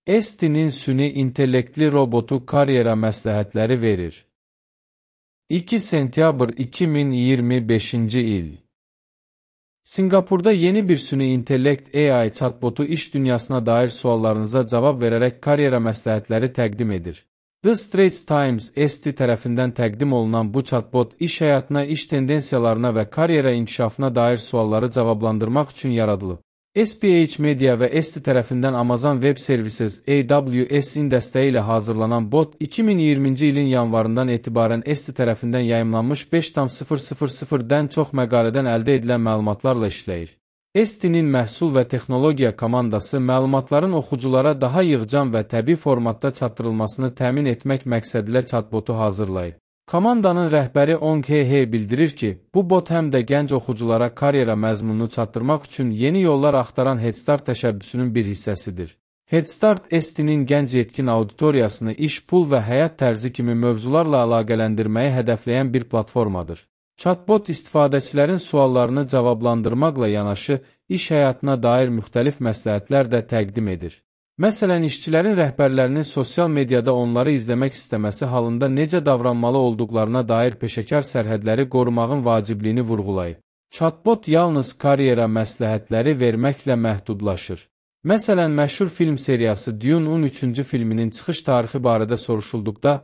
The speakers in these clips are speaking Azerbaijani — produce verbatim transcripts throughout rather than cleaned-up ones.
Estin'in süni intellektli robotu karyera məsləhətləri verir. iki sentyabr iki min iyirmi beşinci il. Singapurda yeni bir süni intellekt A I chatbotu iş dünyasına dair suallarınıza cavab verərək karyera məsləhətləri təqdim edir. The Straits Times Esti tərəfindən təqdim olunan bu chatbot iş həyatına, iş tendensiyalarına və karyera inkişafına dair sualları cavablandırmaq üçün yaradılıb. S P H Media və Esti tərəfindən Amazon Web Services A W S-in dəstəyi ilə hazırlanan bot, iki min iyirminci ilin yanvarından etibarən Esti tərəfindən yayımlanmış beş milyon-dən çox məqalədən əldə edilən məlumatlarla işləyir. Estinin məhsul və texnologiya komandası məlumatların oxuculara daha yığcam və təbii formatda çatdırılmasını təmin etmək məqsədilə chatbotu hazırlayıb. Komandanın rəhbəri Ong He bildirir ki, bu bot həm də gənc oxuculara karyera məzmununu çatdırmaq üçün yeni yollar axtaran Headstart təşəbbüsünün bir hissəsidir. Headstart Estinin gənc yetkin auditoriyasını iş, pul və həyat tərzi kimi mövzularla əlaqələndirməyi hədəfləyən bir platformadır. Chatbot istifadəçilərin suallarını cavablandırmaqla yanaşı, iş həyatına dair müxtəlif məsləhətlər də təqdim edir. Məsələn, işçilərin rəhbərlərinin sosial mediada onları izləmək istəməsi halında necə davranmalı olduqlarına dair peşəkar sərhədləri qorumağın vacibliyini vurğulayıb. Chatbot yalnız karyera məsləhətləri verməklə məhdudlaşır. Məsələn, məşhur film seriyası Dune on üçüncü filminin çıxış tarixi barədə soruşulduqda,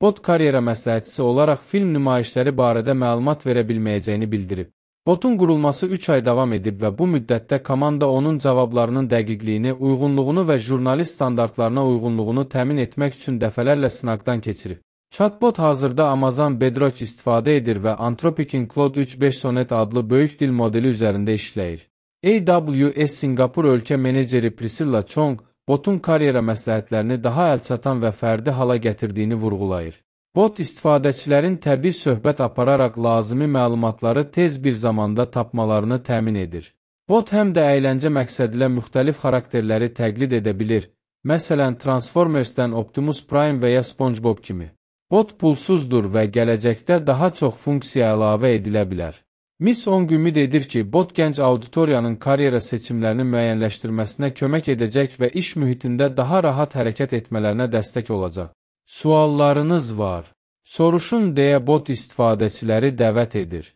bot karyera məsləhətçisi olaraq film nümayişləri barədə məlumat verə bilməyəcəyini bildirib. Botun qurulması üç ay davam edib və bu müddətdə komanda onun cavablarının dəqiqliyini, uyğunluğunu və jurnalist standartlarına uyğunluğunu təmin etmək üçün dəfələrlə sınaqdan keçirib. Chatbot hazırda Amazon Bedrock istifadə edir və Anthropic'in Claude üç beş Sonnet adlı böyük dil modeli üzərində işləyir. A W S Singapur ölkə meneceri Priscilla Chong, botun karyera məsləhətlərini daha əlçatan və fərdi hala gətirdiyini vurğulayır. Bot istifadəçilərin təbii söhbət apararaq lazımi məlumatları tez bir zamanda tapmalarını təmin edir. Bot həm də əyləncə məqsədilə müxtəlif xarakterləri təqlid edə bilir, məsələn Transformersdən Optimus Prime və ya SpongeBob kimi. Bot pulsuzdur və gələcəkdə daha çox funksiya əlavə edilə bilər. Miss Ong ümid edir ki, bot gənc auditoriyanın karyera seçimlərini müəyyənləşdirməsinə kömək edəcək və iş mühitində daha rahat hərəkət etmələrinə dəstək olacaq. Suallarınız var. Soruşun deyə bot istifadəçiləri dəvət edir.